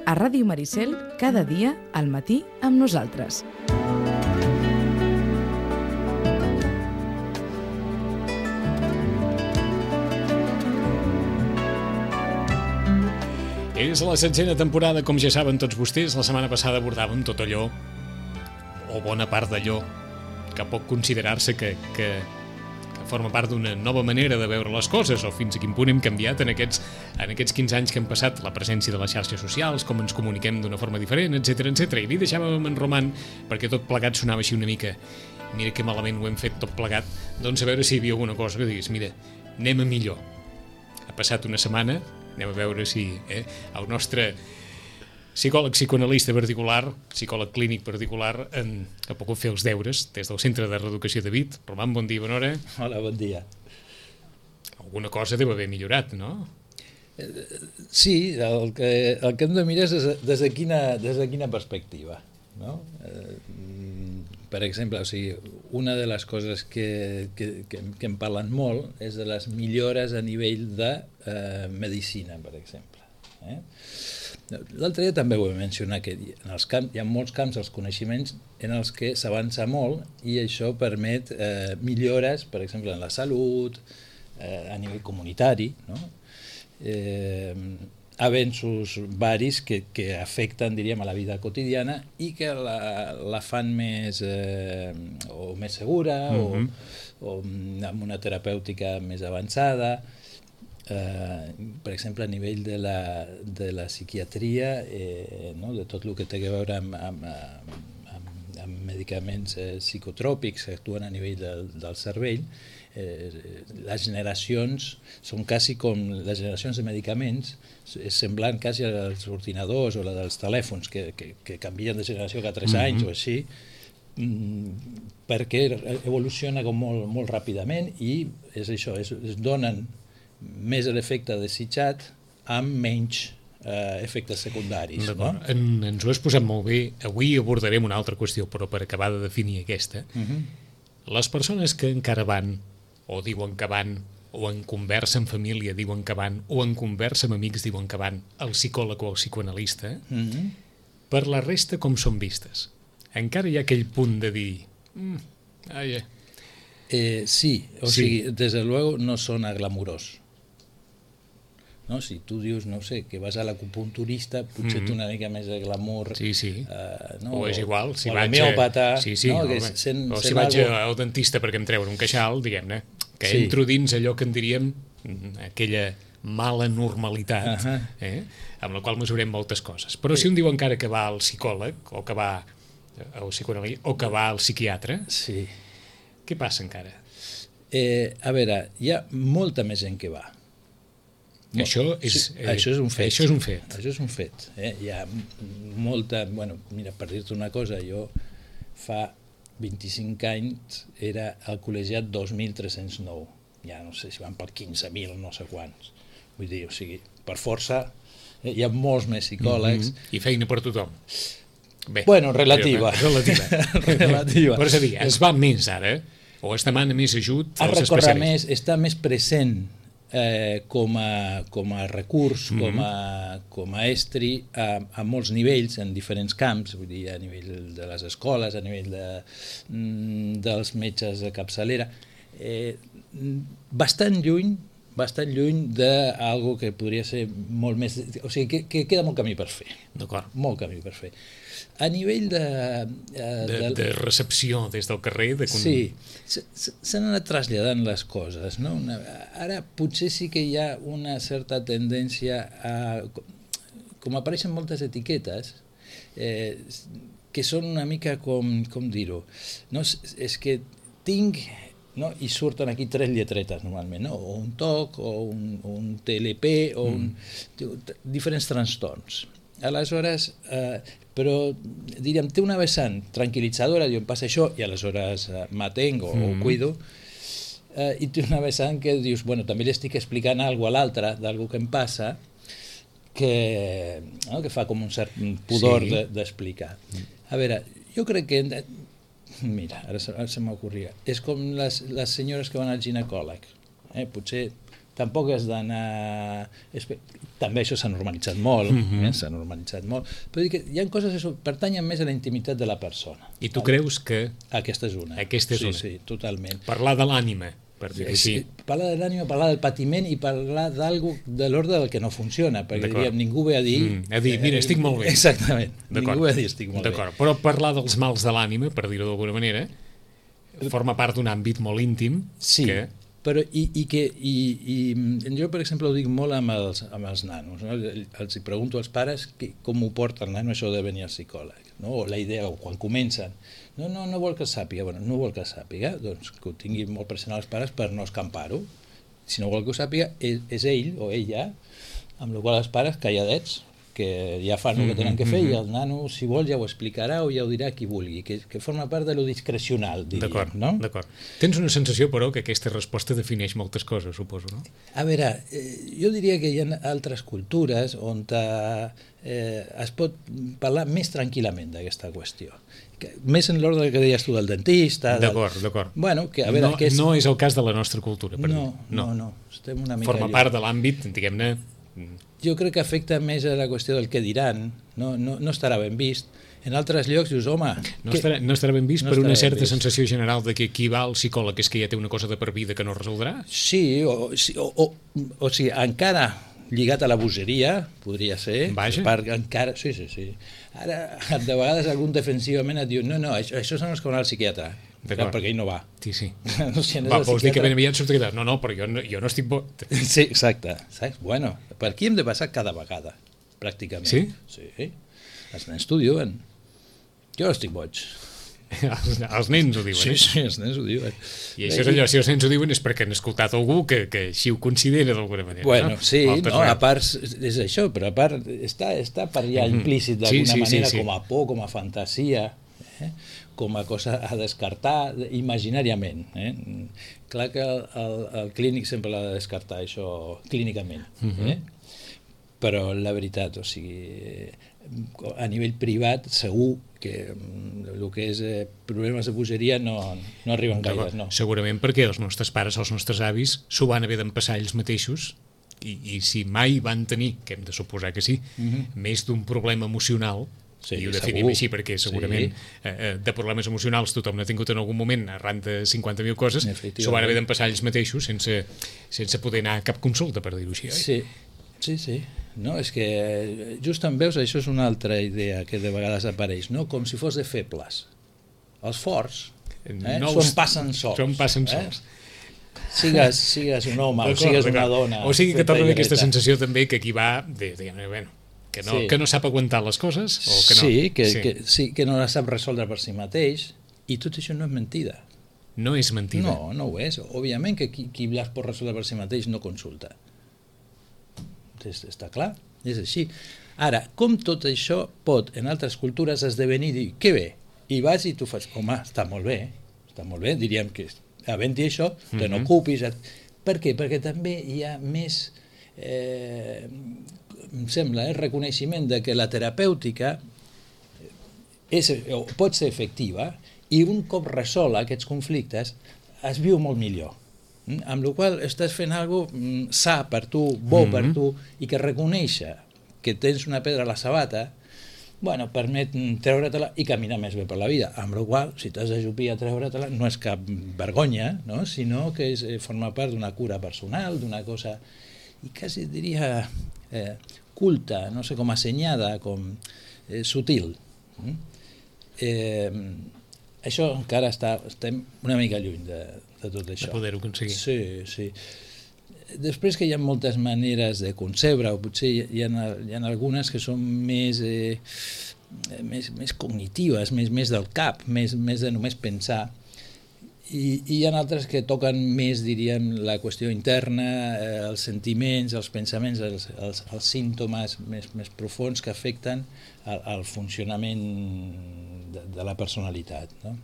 A Ràdio Maricel, cada dia, al matí, amb nosaltres. És la 7a temporada, com ja saben tots vostès. La setmana passada abordàvem tot allò, o bona part d'allò, que pot considerar-se que forma part d'una nova manera de veure les coses, o fins a quin punt hem canviat en aquests 15 anys que han passat, la presència de les xarxes socials, com ens comuniquem d'una forma diferent, etc etc. I li deixàvem en Roman, perquè tot plegat sonava així una mica, mira que malament ho hem fet tot plegat, doncs a veure si hi havia alguna cosa que diguis, mira, anem a millor. Ha passat una setmana, anem a veure si el nostre psicòleg psicoanalista particular, psicòleg clínic particular, ha pogut fer els deures des del Centre de Reeducació de Vic. Roman, bon dia, bona hora. Hola, bon dia. Alguna cosa deu haver millorat, no? Sí, el que hem de mirar és des de quina perspectiva, no? Per exemple, o sigui, una de les coses que em parlen molt és de les millores a nivell de medicina, per exemple. L'altre dia també ho vam mencionar, que hi ha molts camps dels coneixements en els que s'avança molt i això permet millores, per exemple, en la salut, a nivell comunitari, no? Avenços varis que afecten, diríem, a la vida quotidiana i que la fan més segura o amb una terapèutica més avançada. Per exemple, a nivell de la psiquiatria, no? De tot el que té a veure amb medicaments psicotròpics que actuen a nivell del cervell, les generacions són quasi com les generacions de medicaments, és semblant quasi als ordinadors o la dels telèfons que canvien de generació cada 3 anys o així, perquè evoluciona com molt ràpidament i és això, es donen més l'efecte desitjat amb menys efectes secundaris. No? Ens ho has posat molt bé. Avui abordarem una altra qüestió, però per acabar de definir aquesta. Les persones que encara van, o diuen que van, o en conversa amb família diuen que van, o en conversa amb amics diuen que van, al psicòleg o al psicoanalista, per la resta com són vistes? Encara hi ha aquell punt de dir... Sí, o sigui, des de luego no sona glamurós. No? Si tu dius, no sé, que vas a l'acupunturista, potser té una mica més de glamour. Sí. No? O és igual, si o vaig... l'homeòpata. Sí, no? O si vaig al dentista perquè em treuen un queixal, diguem-ne, que entro dins allò que en diríem aquella mala normalitat, amb la qual mesurem moltes coses. Però si un diu encara que va al psicòleg, o que va al psicoanalista, o que va al psiquiatre, què passa encara? A veure, hi ha molta més gent que va. Això és un fet. Això és un fet. Hi ha molta... Bueno, mira, per dir-te una cosa, jo fa 25 anys era al col·legiat 2.309. Ja no sé si van per 15.000, no sé quants. Vull dir, o sigui, per força hi ha molts més psicòlegs. I feina per tothom. Bé, bueno, relativa. Relativa. Per és a dir, es va més ara, o es demana més ajut als especialistes. Està més present com a recurs, com a estri a molts nivells, en diferents camps, vull dir, a nivell de les escoles, a nivell dels metges de capçalera, bastant lluny d'algo que podria ser molt més... O sigui, que queda molt camí per fer. D'acord. Molt camí per fer. A nivell de recepció des del carrer... Sí, s'han anat traslladant les coses, no? Ara potser sí que hi ha una certa tendència a... Com apareixen moltes etiquetes, que són una mica com dir-ho, no? És que tinc... No? I surten aquí 3 lletretes normalment, no? O un TOC, o un TLP, o diferents trastorns. Aleshores, però diríem, té una vessant tranquil·litzadora, diu, em passa això, i aleshores m'atengo o cuido, i té una vessant que dius, bueno, també li estic explicant alguna cosa a l'altre, d'algú que em passa, que fa com un cert pudor d'explicar. A veure, jo crec que... Mira, ara se m'ocorria. És com les senyores que van al ginecòleg. Potser tampoc has d'anar... També això s'ha normalitzat molt, s'ha normalitzat molt, però dir que hi ha coses que pertanyen més a la intimitat de la persona. I tu creus que... Aquesta és una. Sí, totalment. Parlar de l'ànima, per dir-ho així. Parlar de l'ànima, parlar del patiment i parlar d'algú de l'ordre del que no funciona, perquè diríem, ningú ve a dir... Mira, estic molt bé. Exactament, ningú ve a dir estic molt bé. D'acord, però parlar dels mals de l'ànima, per dir-ho d'alguna manera, forma part d'un àmbit molt íntim. Sí, però jo, per exemple, ho dic molt amb els nanos, no? Els pregunto als pares com ho porta el nano això de venir al psicòleg, no? O la idea, o quan comencen, no vol que el sàpiga, no vol que el sàpiga, doncs que ho tingui molt present als pares per no escampar-ho. Si no vol que ho sàpiga, és ell o ella, amb la qual els pares calladets, que ja fan el que tenen que fer, i el nano, si vol, ja ho explicarà o ja ho dirà qui vulgui, que forma part de lo discrecional, diríem, no? D'acord. Tens una sensació, però, que aquesta resposta defineix moltes coses, suposo, no? A veure, jo diria que hi ha altres cultures on es pot parlar més tranquil·lament d'aquesta qüestió. Més en l'ordre que deies tu del dentista... D'acord. Bueno, que a veure... No és el cas de la nostra cultura, per dir. No. Estem una mica forma part de l'àmbit, diguem-ne... Jo crec que afecta més a la qüestió del què diran, no estarà ben vist. En altres llocs dius, home... No estarà ben vist per una certa sensació general de que qui va al psicòleg és que ja té una cosa de per vida que no resoldrà? Sí, o sigui, encara lligat a la bogeria, podria ser. Vaja. Encara, sí. Ara, de vegades algun defensivament et diu no, això són els que van al psiquiatre. Clar, perquè ell no va. Sí. No, si vols dir que ben aviat sortirà? No, però jo no estic bo. Sí, exacte. Saps? Bueno, per aquí hem de passar cada vegada, pràcticament. Sí? Sí. Els nens t'ho diuen. Jo no estic boig. Els nens ho diuen, Sí, els nens ho diuen. I això és allò, si els nens ho diuen és perquè han escoltat algú que així ho considera d'alguna manera. Bueno, sí, a part és això, però a part està per allà implícit d'alguna manera com a por, com a fantasia, com a cosa a descartar imaginàriament. Clar que el clínic sempre l'ha de descartar, això clínicament. Però la veritat, o sigui, a nivell privat segur que el que és problemes de bogeria no arriben gaire. No. Segurament perquè els nostres pares, els nostres avis, s'ho van haver d'empassar ells mateixos i si mai van tenir, que hem de suposar que sí, més d'un problema emocional, i ho definim així perquè segurament de problemes emocionals tothom n'ha tingut en algun moment arran de 50.000 coses, s'ho van haver d'empassar ells mateixos sense poder anar a cap consulta, per dir-ho així, oi? Sí. No, és que just en veus, això és una altra idea que de vegades apareix, no? Com si fos de febles. Els forts s'ho passen sols. Sigues un home o sigues una dona. O sigui que torna aquesta sensació també que aquí va que no sap aguantar les coses o que no. Que no la sap resoldre per si mateix, i tot això no és mentida. No és mentida? No ho és. Òbviament que qui les pot resoldre per si mateix no consulta. Està clar, és així. Ara, com tot això pot en altres cultures esdevenir i dir, que bé, i vas i tu fas, home, està molt bé, diríem que havent-hi això, te n'ocupis. Per què? Perquè també hi ha més, em sembla, reconeixement de que la terapèutica pot ser efectiva i un cop resol aquests conflictes es viu molt millor. Amb la qual estàs fent alguna cosa sa per tu, bo per tu, i que reconèixer que tens una pedra a la sabata, permet treure-te-la i caminar més bé per la vida. Amb la qual, si t'has d'ajupir a treure-te-la, no és cap vergonya, no? Sinó que forma part d'una cura personal, d'una cosa, i quasi diria culta, no sé, com assenyada, com sutil. Això encara estem una mica lluny de tot això. De poder-ho aconseguir. Sí. Després que hi ha moltes maneres de concebre, o potser hi ha algunes que són més cognitives, més del cap, més de només pensar, i hi ha altres que toquen més, diríem, la qüestió interna, els sentiments, els pensaments, els símptomes més profuns que afecten el funcionament de la personalitat, no?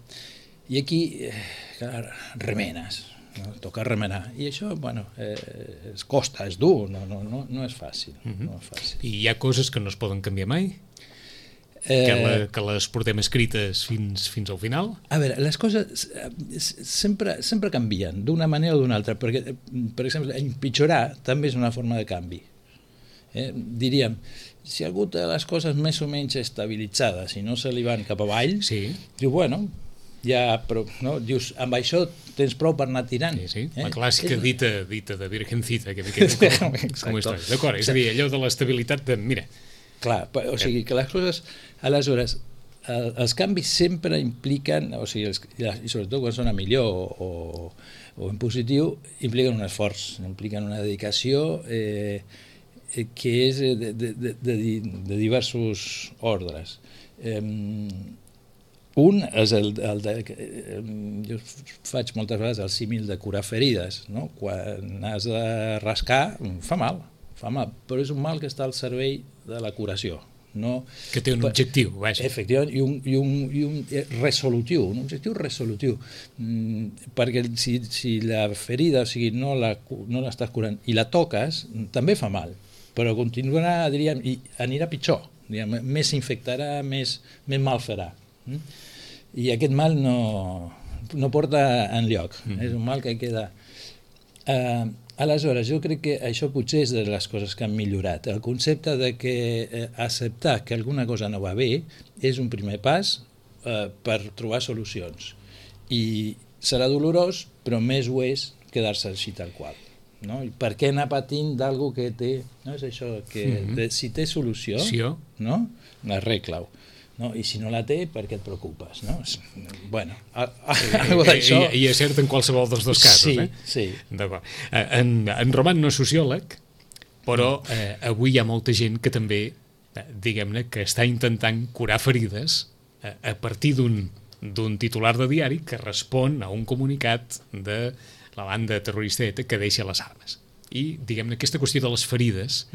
I aquí, clar, remenes, no? Toca remenar. I això, es costa, és dur, no és fàcil. No és fàcil. I hi ha coses que no es poden canviar mai? que les portem escrites fins al final? A veure, les coses sempre canvien d'una manera o d'una altra, perquè, per exemple, empitjorar també és una forma de canvi. Diríem, si algú té les coses més o menys estabilitzades i no se li van cap avall, diu, bueno, ja, però, no? Dius, amb això tens prou per anar tirant. La clàssica dita de Virgencita, que me quedo com història. D'acord, és a dir, allò de l'estabilitat de, mira... Clar, o sigui, que les coses, aleshores, els canvis sempre impliquen, o sigui, i sobretot quan són a millor o en positiu, impliquen un esforç, impliquen una dedicació que és de diversos ordres. Un és jo faig moltes vegades el símil de curar ferides, no? Quan has de rascar fa mal, però és un mal que està al servei de la curació. No, que té un objectiu, vaja. Efectivament, i un resolutiu, un objectiu resolutiu, perquè si la ferida, o sigui, no l'estàs curant i la toques, també fa mal, però continuarà, diríem, i anirà pitjor, diríem, més infectarà, més mal farà. I aquest mal no porta enlloc, és un mal que queda... Aleshores, jo crec que això potser és de les coses que han millorat. El concepte de que acceptar que alguna cosa no va bé és un primer pas per trobar solucions. I serà dolorós, però més ho és quedar-se així tal qual. No? I per què anar patint d'algú que té... No és això, que si té solució, no? Arregla-ho. No? I si no la té, per què et preocupes? No? Bueno, I és cert en qualsevol dels dos casos. Sí. D'acord. En Roman no és sociòleg, però avui hi ha molta gent que també, diguem-ne, que està intentant curar ferides a partir d'un titular de diari que respon a un comunicat de la banda terrorista ETA que deixa les armes. I, diguem-ne, aquesta qüestió de les ferides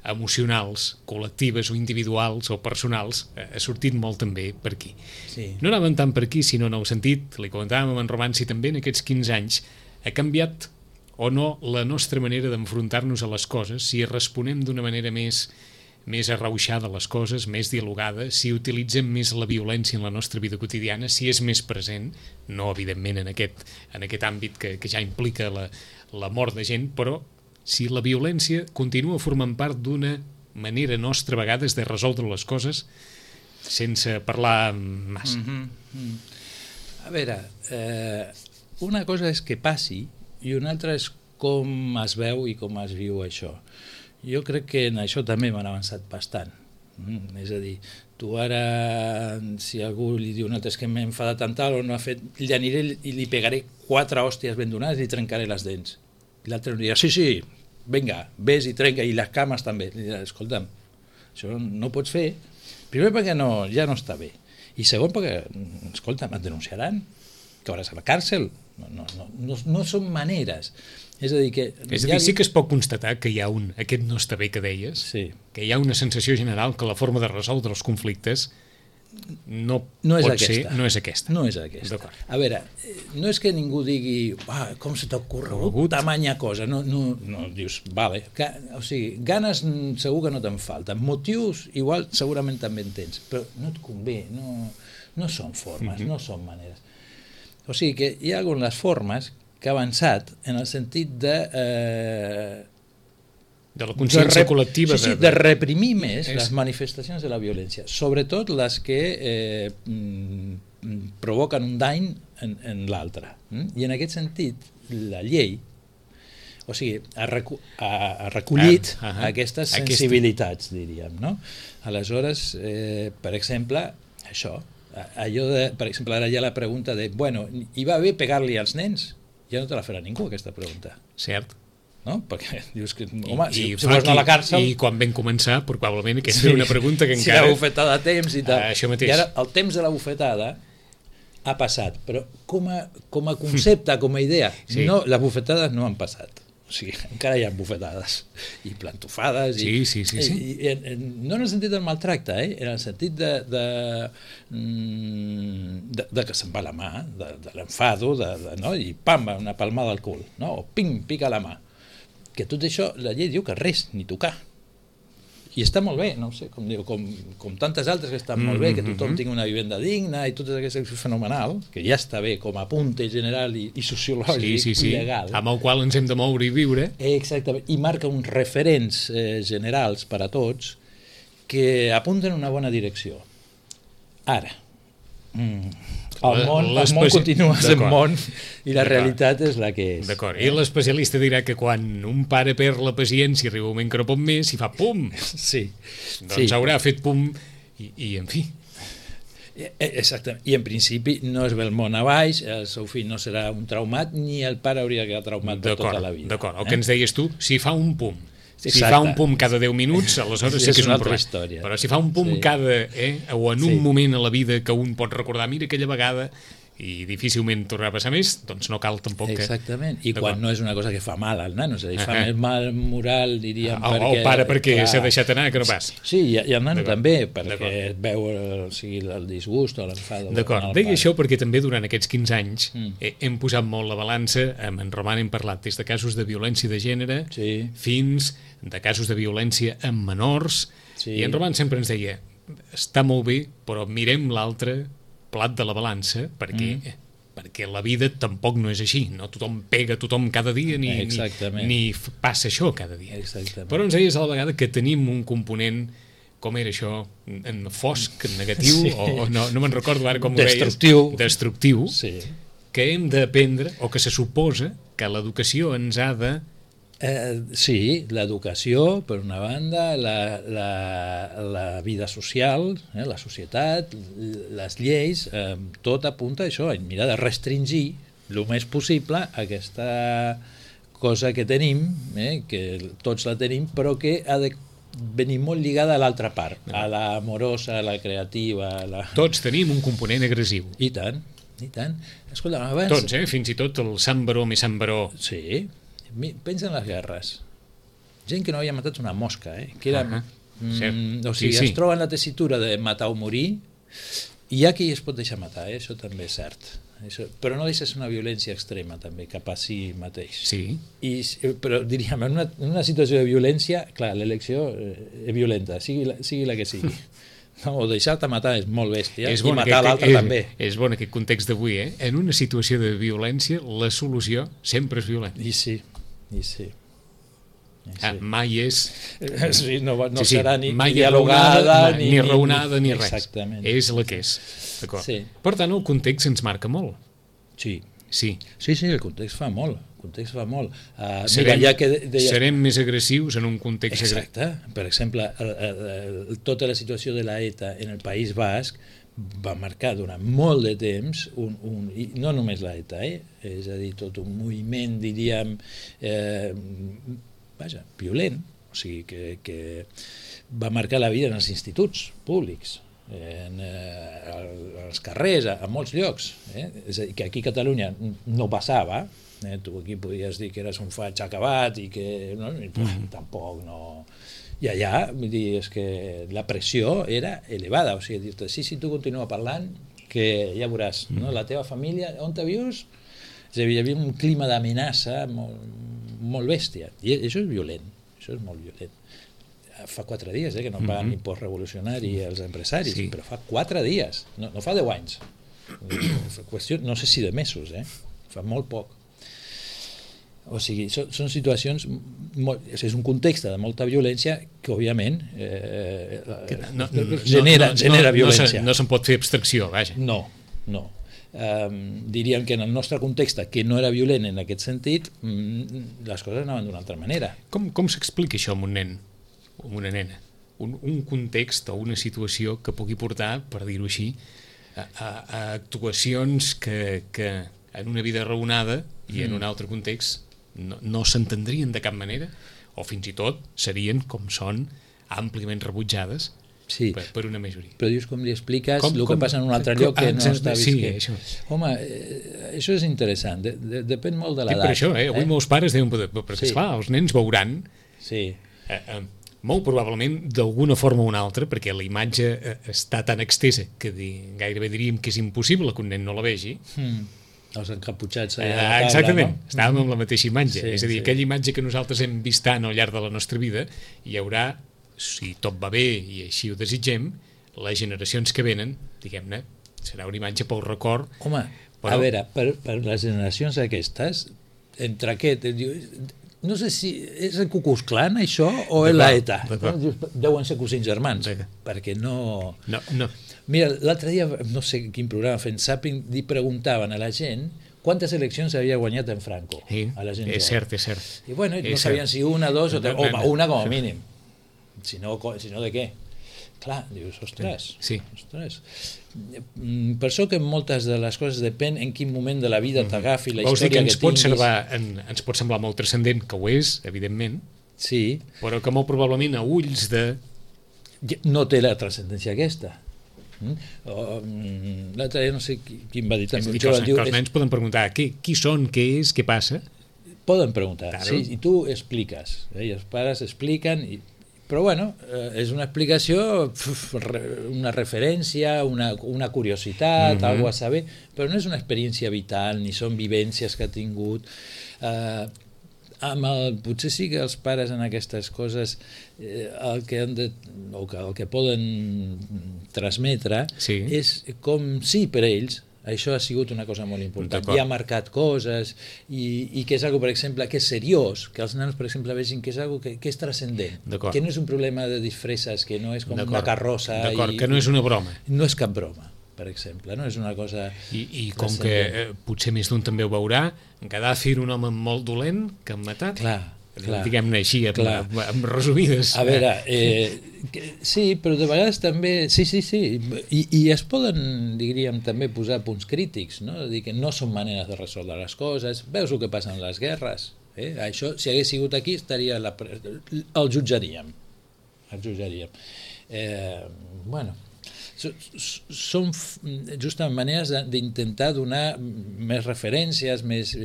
emocionals, col·lectives o individuals o personals, ha sortit molt també per aquí. No anàvem tant per aquí, sinó en el sentit, li comentàvem amb en Roman, si també en aquests 15 anys ha canviat o no la nostra manera d'enfrontar-nos a les coses, si responem d'una manera més arrauixada a les coses, més dialogada, si utilitzem més la violència en la nostra vida quotidiana, si és més present, no evidentment en aquest àmbit que ja implica la mort de gent, però si la violència continua formant part d'una manera nostra a vegades de resoldre les coses sense parlar massa. A veure, una cosa és que passi i una altra és com es veu i com es viu això. Jo crec que en això també m'han avançat bastant. És a dir, tu ara, si algú li diu un altre és que m'he enfadat tant o no ha fet, li aniré i li pegaré 4 hòsties ben donades i li trencaré les dents. I l'altre em dirà, sí, vinga, ves i trenca, i les cames també. Li dirà, escolta'm, això no ho pots fer, primer perquè ja no està bé, i segon perquè, escolta'm, et denunciaran, cauràs a la càrcel, no són maneres. És a dir, sí que es pot constatar que hi ha aquest no està bé que deies, que hi ha una sensació general que la forma de resoldre els conflictes no és aquesta. A veure, no és que ningú digui com se t'ha ocorregut tamanya cosa, no dius, vale, o sigui, ganes segur que no te'n falten, motius igual segurament també en tens, però no et convé, no són formes, no són maneres. O sigui que hi ha algunes formes que ha avançat en el sentit de la consciència col·lectiva. De reprimir més les manifestacions de la violència, sobretot les que provoquen un dany en l'altre. I en aquest sentit, la llei ha recollit aquestes sensibilitats, diríem. Aleshores, per exemple, això, per exemple, ara hi ha la pregunta de, bueno, hi va bé pegar-li als nens? Ja no te la farà ningú, aquesta pregunta. Cert. No? Perquè dius que, home, si vols anar a la càrcel... I quan vam començar, probablement aquesta era una pregunta que encara... Si la bufetada a temps i tal. Això mateix. I ara el temps de la bufetada ha passat, però com a concepte, com a idea, les bufetades no han passat. O sigui, encara hi ha bufetades i plantofades. Sí. No en el sentit del maltracte, en el sentit de que se'n va la mà, de l'enfado, i pam, una palmada al cul, o ping, pica la mà. Que tot això, la llei diu que res, ni tocar. I està molt bé, no sé, com tantes altres que estan molt bé, que tothom tingui una vivenda digna i tot aquest és fenomenal, que ja està bé com a apunte general i sociològic i legal. Amb el qual ens hem de moure i viure. Exactament, i marca uns referents generals per a tots que apunten en una bona direcció. Ara, el món continua sent món i la realitat és la que és. D'acord, i l'especialista dirà que quan un pare perd la paciència arriba un moment que no pot més i fa pum, doncs haurà fet pum i en fi. Exactament, i en principi no es ve el món a baix, el seu fill no serà un traumat ni el pare hauria de quedar traumat per tota la vida. D'acord, el que ens deies tu, si fa un pum, si fa un pum cada 10 minuts, aleshores sí que és un problema. Història. Però si fa un pum cada... o en un moment a la vida que un pot recordar, mira aquella vegada, i difícilment tornarà a passar més, doncs no cal tampoc que... Exactament, i quan no és una cosa que fa mal al nano, és a dir, fa més mal moral, diríem, perquè... El pare perquè s'ha deixat anar, que no pas. Sí, i el nano també, perquè es veu el disgust o l'enfado. D'acord, deia això perquè també durant aquests 15 anys hem posat molt la balança, amb en Roman hem parlat des de casos de violència de gènere fins de casos de violència amb menors, i en Roman sempre ens deia, està molt bé, però mirem l'altre plat de la balança, perquè la vida tampoc no és així, no tothom pega a tothom cada dia ni passa això cada dia. Però ens deies a la vegada que tenim un component, com era això, en fosc, negatiu, o no me'n recordo ara com ho deies, destructiu, que hem d'aprendre, o que se suposa que l'educació ens ha de... Sí, l'educació, per una banda, la vida social, la societat, les lleis, tot apunta a això, a mirar de restringir el més possible aquesta cosa que tenim, que tots la tenim, però que ha de venir molt lligada a l'altra part, a l'amorosa, a la creativa... Tots tenim un component agressiu. I tant, i tant. Escolta, abans... Tots, fins i tot el Sant Baró més Sant Baró. Sí. Pensa en les guerres, gent que no havia matat una mosca, que era, o sigui, es troba en la tessitura de matar o morir, i hi ha qui es pot deixar matar, això també és cert, però no deixa ser una violència extrema també cap a si mateix. Però diríem, en una situació de violència, clar, l'elecció és violenta, sigui la que sigui. O deixar-te matar és molt bèstia, i matar l'altre també. És bon aquest context d'avui, en una situació de violència la solució sempre és violenta. I sí. Mai és... No serà ni dialogada, ni raonada, ni res. Exactament. És la que és. Per tant, el context ens marca molt. Sí, el context fa molt. Serem més agressius en un context... Exacte. Per exemple, tota la situació de la ETA en el País Basc va marcar durant molt de temps, i no només la ETA, és a dir, tot un moviment, diríem, violent, o sigui, que va marcar la vida en els instituts públics, en els carrers, a molts llocs. És a dir, que aquí a Catalunya no passava, tu aquí podies dir que eres un faig acabat i que tampoc no... I allà, vull dir, és que la pressió era elevada, o sigui, dir-te, si tu continua parlant, que ja veuràs, la teva família, on te vius? És a dir, hi havia un clima d'amenaça molt bèstia, i això és violent, això és molt violent. Fa 4 dies que no paguen impost revolucionari als empresaris, però fa 4 dies, no fa 10 anys. Qüestió, no sé si de mesos, fa molt poc. O sigui, són situacions, és un context de molta violència que, òbviament, genera violència. No se'n pot fer abstracció, vaja. No. Diríem que en el nostre context, que no era violent en aquest sentit, les coses anaven d'una altra manera. Com s'explica això amb un nen o amb una nena? Un context o una situació que pugui portar, per dir-ho així, a actuacions que en una vida raonada i en un altre context no s'entendrien de cap manera, o fins i tot serien, com són, àmpliament rebutjades per una majoria. Però dius, com li expliques el que passa en un altre lloc que no està visquent? Home, això és interessant, depèn molt de l'edat. Per això, avui molts pares deuen poder, perquè esclar, els nens veuran molt probablement d'alguna forma o una altra, perquè la imatge està tan extesa que gairebé diríem que és impossible que un nen no la vegi. Els encaputxats exactament, estàvem amb la mateixa imatge, és a dir, aquella imatge que nosaltres hem vist tant al llarg de la nostra vida, hi haurà si tot va bé i així ho desitgem, les generacions que venen, diguem-ne, serà una imatge pel record. Home, però... a veure, per les generacions aquestes, entre aquest... No sé si és el Ku Klux Klan, això, o és l'ETA. Deuen ser cosins germans, perquè no... Mira, l'altre dia, no sé quin programa fent Zapping, li preguntaven a la gent quantes eleccions havia guanyat en Franco. A la gent és cert. I bueno, no sabien si una, dos o tres, o una com a mínim. Si no, de què? Clar, dius, ostres. Per això que moltes de les coses depèn en quin moment de la vida t'agafi, la història que tinguis. Ens pot semblar molt transcendent, que ho és, evidentment, sí, però que molt probablement a ulls de... No té la transcendència aquesta. L'altre dia no sé qui em va dir també. Que els nens poden preguntar qui són, què és, què passa? Poden preguntar, sí, i tu expliques. I els pares expliquen... Però bueno, és una explicació, una referència, una curiositat, algo a saber, però no és una experiència vital, ni són vivències que ha tingut. Potser sí que els pares en aquestes coses el que poden transmetre és com si per ells això ha sigut una cosa molt important i ha marcat coses i que és algo, per exemple, que és seriós, que els nanos, per exemple, vegin que és algo que és transcendent, que no és un problema de disfresses, que no és com una carrossa, que no és una broma, no és cap broma, per exemple, no és una cosa i com que potser més d'un també ho veurà, Gaddafi era un home molt dolent que han matat, diguem-ne així, amb resumides. A veure, sí, però de vegades també, sí, i es poden, diríem, també posar punts crítics, no? Dir que no són maneres de resoldre les coses, veus el que passa en les guerres, això, si hagués sigut aquí, el jutjaríem. Bueno, són justament maneres d'intentar donar més referències, més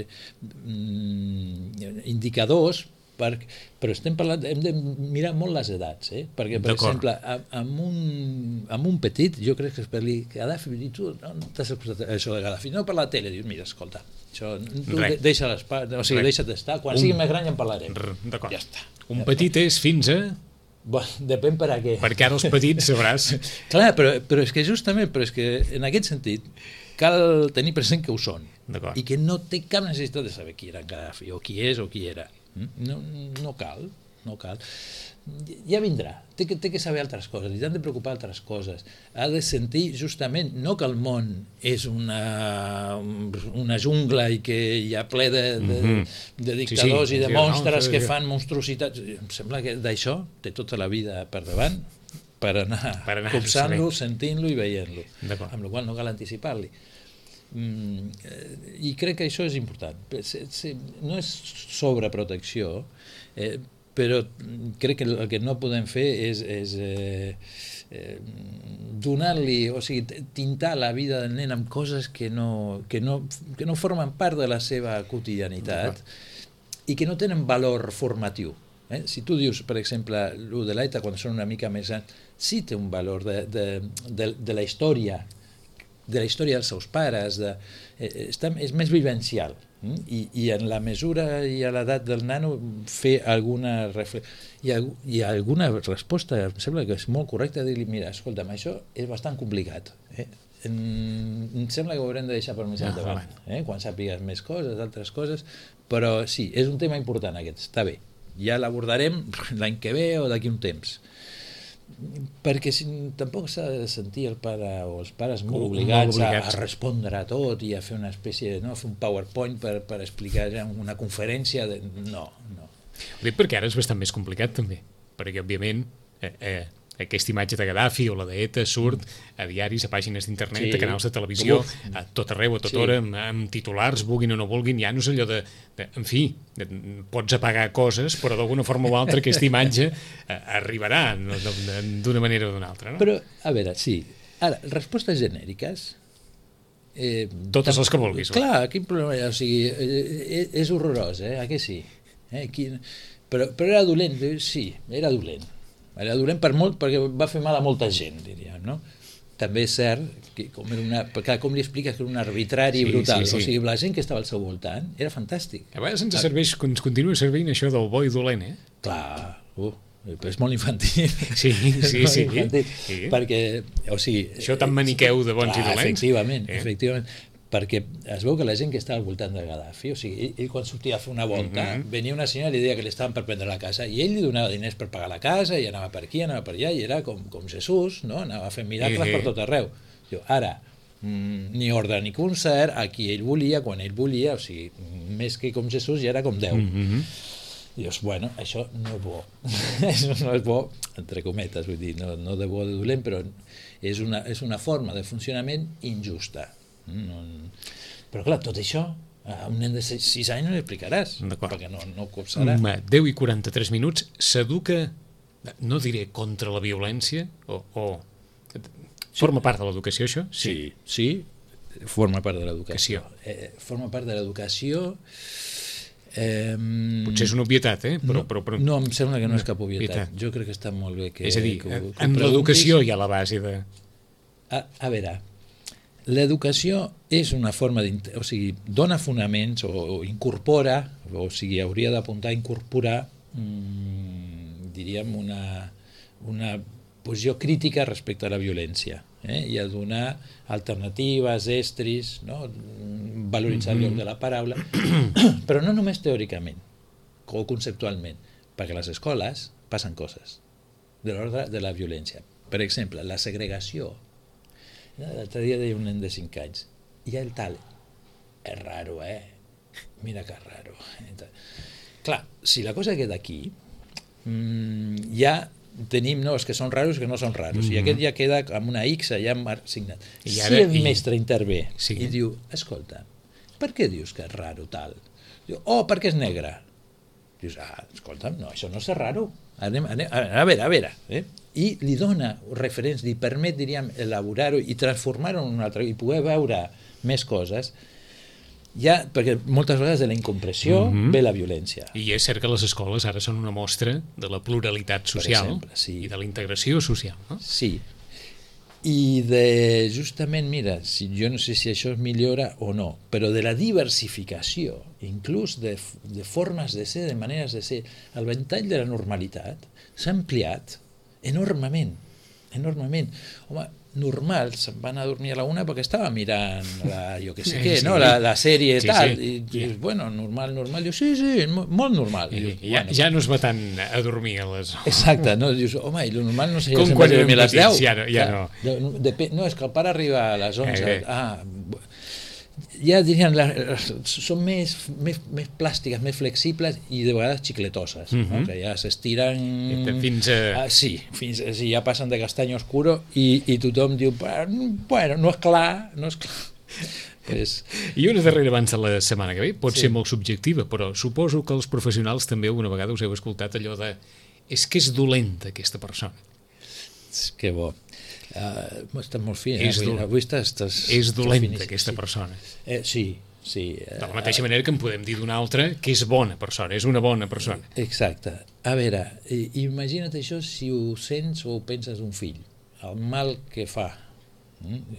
indicadors, però estem parlant, hem de mirar molt les edats, perquè, per exemple, amb un petit, jo crec que és per dir Gaddafi, i tu no t'has escoltat això de Gaddafi, no per la tele, dius, mira, escolta, això, tu deixa't estar, quan sigui més gran ja en parlarem. D'acord. Ja està. Un petit és fins a... Depèn per a què. Perquè ara els petits sabràs. Clar, però és que justament, en aquest sentit, cal tenir present que ho són i que no té cap necessitat de saber qui era Gaddafi, o qui és o qui era. No cal. Ja vindrà, té que saber altres coses, li han de preocupar altres coses, ha de sentir justament no que el món és una jungla i que hi ha ple de dictadors i de monstres que fan monstruositats. Em sembla que d'això té tota la vida per davant per anar copsant-lo, sentint-lo i veient-lo, amb la qual no cal anticipar-li. I crec que això és important. No és sobreprotecció, però crec que el que no podem fer és donar-li, o sigui, tintar la vida del nen amb coses que no formen part de la seva quotidianitat i que no tenen valor formatiu. Si tu dius, per exemple, el de l'ETA quan són una mica més grans, sí té un valor de la història dels seus pares, és més vivencial, i en la mesura i a l'edat del nano fer alguna reflexió i alguna resposta, em sembla que és molt correcta, dir-li, mira, escolta'm, això és bastant complicat, em sembla que ho haurem de deixar per més endavant, quan sàpigues més coses, altres coses, però sí, és un tema important aquest, està bé, ja l'abordarem l'any que ve o d'aquí un temps, perquè tampoc s'ha de sentir el pare o els pares molt obligats a respondre a tot i a fer una espècie de fer un PowerPoint per explicar una conferència no. Ho dic perquè ara és bastant més complicat també, perquè òbviament aquesta imatge de Gaddafi o la d'ETA surt a diaris, a pàgines d'internet, a canals de televisió, a tot arreu, a tota hora, amb titulars, vulguin o no vulguin, ja no és allò en fi, pots apagar coses, però d'alguna forma o altra aquesta imatge arribarà d'una manera o d'una altra. Però, a veure, sí, ara, respostes genèriques... Totes les que vulguis. Clar, quin problema hi ha? O sigui, és horrorós, que sí? Però era dolent, sí, era dolent. Era dolent perquè va fer mal a molta gent, diríem, no? També és cert que com li expliques que era un arbitrari brutal, o sigui, la gent que estava al seu voltant era fantàstic. A vegades ens continua servint això del bo i dolent, Clar, però és molt infantil. Sí. Infantil, Sí. perquè, o sigui... Això tan maniqueu de bons i dolents. Efectivament, perquè es veu que la gent que està al voltant de Gaddafi, o sigui, ell quan sortia a fer una volta, venia una senyora i li deia que li estaven per prendre la casa, i ell li donava diners per pagar la casa, i anava per aquí, anava per allà, i era com Jesús, no? Anava fent miracles per tot arreu. Diu, ara, ni ordre ni concert, a qui ell volia, quan ell volia, o sigui, més que com Jesús ja era com Déu. Dius, bueno, això no és bo. Això no és bo, entre cometes, vull dir, no de bo de dolent, però és una forma de funcionament injusta. Però clar, tot això a un nen de 6 anys no li explicaràs, perquè no copsarà. 10:43 minuts, s'educa, no diré contra la violència, o forma part de l'educació, això? Sí, forma part de l'educació. Forma part de l'educació. Potser és una obvietat, però... No, em sembla que no és cap obvietat. Jo crec que està molt bé que... És a dir, en l'educació hi ha la base de... A veure, l'educació és una forma o sigui, dona fonaments o incorpora, o sigui, hauria d'apuntar a incorporar, diríem, una posició crítica respecte a la violència, i a donar alternatives, estris, no? Valoritzar el lloc de la paraula, però no només teòricament o conceptualment, perquè a les escoles passen coses de l'ordre de la violència. Per exemple, la segregació. L'altre dia deia un nen de 5 anys, i el tal, és raro, mira que és raro. Clar, si la cosa queda aquí, ja tenim, no, els que són raros que no són raros, i aquest ja queda amb una X allà signat. Si el mestre intervé i diu, escolta, per què dius que és raro tal? Diu, perquè és negre. Dius, escolta'm, no, això no és raro. A veure, i li dona referents, li permet, diríem, elaborar-ho i transformar-ho en un altre, i poder veure més coses, ja, perquè moltes vegades de la incompressió ve la violència. I és cert que les escoles ara són una mostra de la pluralitat social, i de la integració social, no? Sí, i de, justament, mira, jo no sé si això es millora o no, però de la diversificació, inclús de formes de ser, de maneres de ser, el ventall de la normalitat s'ha ampliat enormement. Home, normal, se'n van a dormir a la 1 perquè estava mirant jo què sé què, no? La sèrie i tal, i dius, bueno, normal, dius, sí, molt normal. Ja no es va tant a dormir a les... Exacte, no? Dius, home, i lo normal no sé, com quan érem petits, ja no. No, és que el pare arriba a les 11, ja dirien, són més plàstiques, més flexibles i de vegades xicletoses, que ja s'estiren fins a... sí, ja passen de castany oscuro i tothom diu, bueno, no és clar. I una darrera abans de la setmana que ve pot ser molt subjectiva, però suposo que els professionals també alguna vegada us heu escoltat allò de és que és dolenta aquesta persona. Que bo. Estàs molt fi, avui estàs és dolenta aquesta persona. Sí. De la mateixa manera que en podem dir d'una altra que és bona persona, és una bona persona. Exacte. A veure, imagina't això si ho sents o ho penses d'un fill, el mal que fa.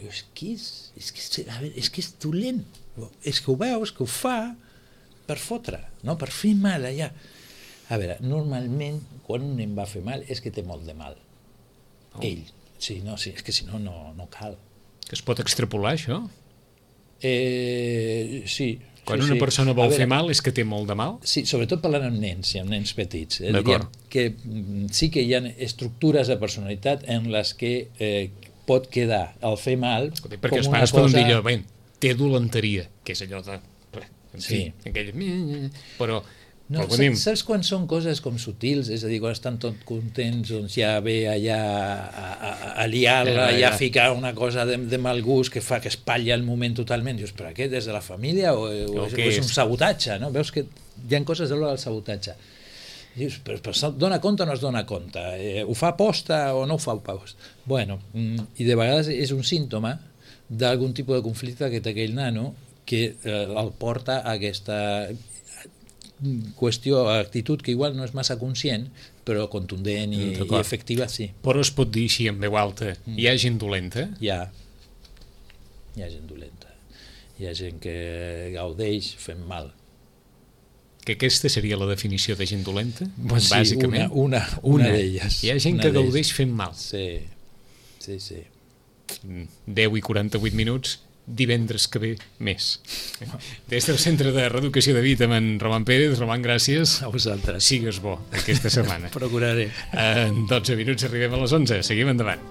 És que és dolent, és que ho veus, que ho fa per fotre, no? Per fer mal allà. A veure, normalment quan un nen va fer mal és que té molt de mal. Ell. Sí, és que si no, no cal. Que es pot extrapolar, això? Sí. Quan una persona vol fer mal és que té molt de mal? Sí, sobretot parlant amb nens i amb nens petits. Diríem que sí que hi ha estructures de personalitat en les que pot quedar el fer mal com una cosa... Perquè els pares poden dir allò, té dolenteria, que és allò de... Sí. Però... No, saps quan són coses com sutils, és a dir, quan estan tot contents, doncs ja ve allà a liar-la, ja a ficar una cosa de mal gust que fa que espatlla el moment totalment. Dius, però què, des de la família o és un sabotatge, no? Veus que hi ha coses de l'hora del sabotatge. Dius, però dona compte o no es dona compte? Ho fa aposta o no ho fa aposta? Bueno, i de vegades és un símptoma d'algun tipus de conflicte que té aquell nano que el porta a aquesta qüestió, actitud que igual no és massa conscient, però contundent i efectiva, sí. Però es pot dir així en veu alta, hi ha gent dolenta? Hi ha gent dolenta. Hi ha gent que gaudeix fent mal. que aquesta seria la definició de gent dolenta, sí, bàsicament. Una d'elles. Hi ha gent que gaudeix fent mal. Sí. 10 i 48 minuts, divendres que ve més. Des del Centre de Reeducació de Vida amb en Roman Pérez. Roman, gràcies. A vosaltres. Sigues bo aquesta setmana. Procuraré. En 12 minuts arribem a les 11. Seguim endavant.